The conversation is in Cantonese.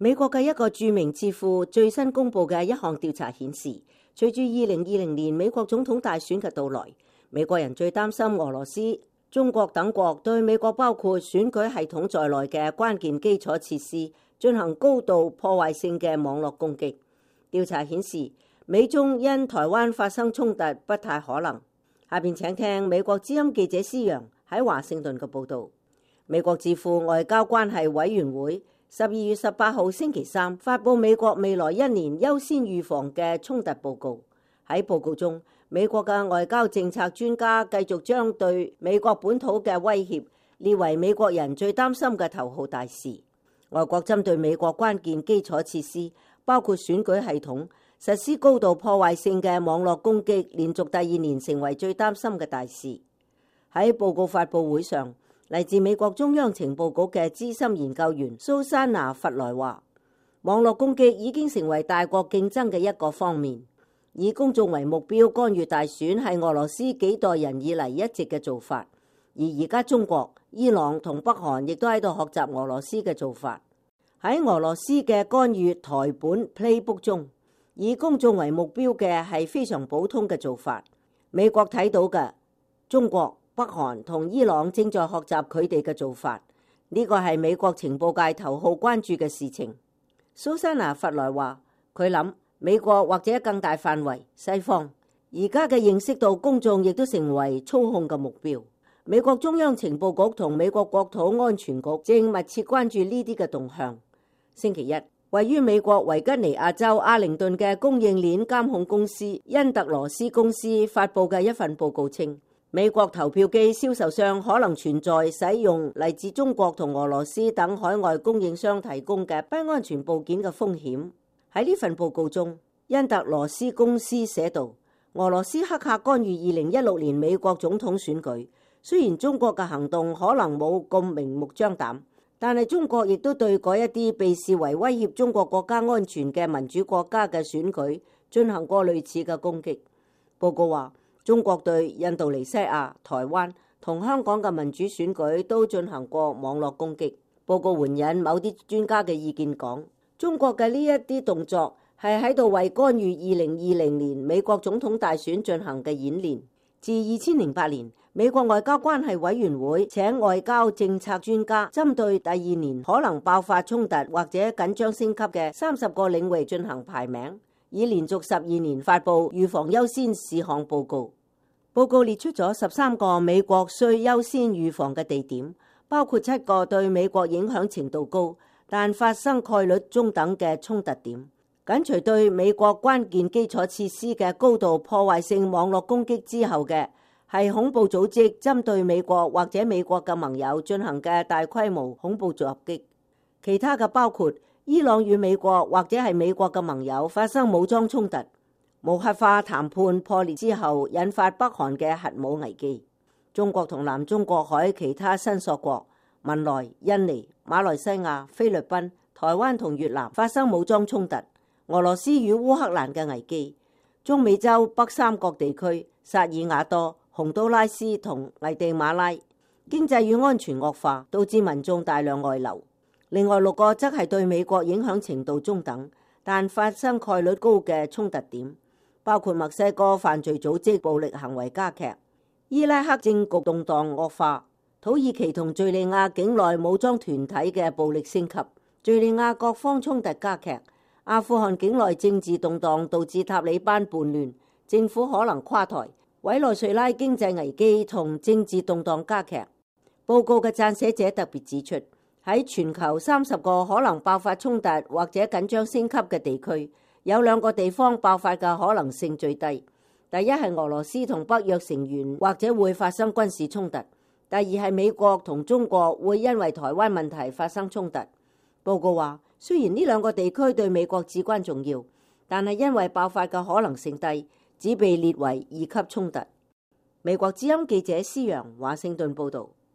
美國嘅一個著名智庫最新公布嘅一項調查顯示，隨住2020年美國總統大選嘅到來，美國人最擔心俄羅斯、中國等國對美國包括選舉系統在內嘅關鍵基礎設施進行高度破壞性嘅網絡攻擊。調查顯示，美中因台灣發生衝突不太可能。下邊請聽美國之音記者施洋喺華盛頓嘅報導。美國智庫外交關係委員會12月18號星期三發布美國未來一年優先預防嘅衝突報告。喺報告中，美國嘅外交政策專家繼續將對美國本土嘅威脅列為美國人最擔心嘅頭號大事。外國針對美國關鍵基礎設施，包括選舉系統，實施高度破壞性嘅網絡攻擊，連續第二年成為最擔心嘅大事。喺報告發佈會上，嚟自美國中央情報局嘅資深研究員蘇珊娜·弗萊話，網絡攻擊已經成為大國競爭嘅一個方面，以公眾為目標干預大選係俄羅斯幾代人以嚟一直嘅做法，而家中國、伊朗同北韓亦都喺度學習俄羅斯嘅做法。喺俄羅斯嘅干預台本 Playbook 中，以公眾為目標嘅係非常普通嘅做法。美國睇到嘅，中國、北韓同伊朗正在學習佢哋嘅做法，呢個係美國情報界頭號關注嘅事情。蘇珊娜·弗萊話，佢諗美國或者更大範圍西方而家嘅認識到公眾亦都成為操控嘅目標。美國中央情報局同美國國土安全局正密切關注呢啲嘅動向。星期一，位於美國維吉尼亞州阿靈頓嘅供應鏈監控公司恩特羅斯公司發佈嘅一份報告稱，美國投票機銷售商可能存在使用嚟自中國同俄羅斯等海外供應商提供嘅不安全部件嘅風險。喺呢份報告中，恩特羅斯公司寫道，俄羅斯黑客干預2016年美國總統選舉，雖然中國嘅行動可能冇咁明目張膽，但係中國亦都對嗰一啲被視為威脅中國國家安全嘅民主國家嘅選舉進行過類似嘅攻擊。報告話，中國對印度尼西亞、台灣同香港嘅民主選舉都進行過網絡攻擊。報告援引某啲專家嘅意見講，中國嘅呢一啲動作係喺度為干預2020年美國總統大選進行嘅演練。自2008年，美國外交關係委員會請外交政策專家針對第二年可能爆發衝突或者緊張升級嘅30個領域進行排名，以連續12年發布預防優先事項報告。報告列出咗13個美國需優先預防嘅地點，包括7個對美國影響程度高但發生概率中等嘅衝突點。緊隨對美國關鍵基礎設施嘅高度破壞性網絡攻擊之後嘅係恐怖組織針對美國或者美國嘅盟友進行嘅大規模恐怖襲擊。其他嘅包括伊朗與美國或者係美國嘅盟友發生武裝衝突，無核化談判破裂之後引發北韓嘅核武危機，中國同南中國海其他申索國文萊、印尼、馬來西亞、菲律賓、台灣同越南發生武裝衝突，俄羅斯與烏克蘭嘅危機，中美洲北三角地區薩爾瓦多、洪都拉斯同危地馬拉經濟與安全惡化，導致民眾大量外流。另外6個則係對美國影響程度中等但發生概率高嘅衝突點，包括墨西哥犯罪組織暴力行為加劇、伊拉克政局動盪惡化、土耳其同敘利亞境內武裝團體嘅暴力升級、敘利亞各方衝突加劇、阿富汗境內政治動盪導致塔利班叛亂，政府可能垮台，委內瑞拉經濟危機同政治動盪加劇。報告嘅撰寫者特別指出，喺全球30個可能爆發衝突或者緊張升級嘅地區，有2個地方爆發嘅可能性最低。第一係俄羅斯同北約成員或者會發生軍事衝突，第二係美國同中國會因為台灣問題發生衝突。報告話，雖然呢2個地區對美國至關重要，但係因為爆發嘅可能性低，只被列為2級衝突。美國之音記者施洋華盛頓報導。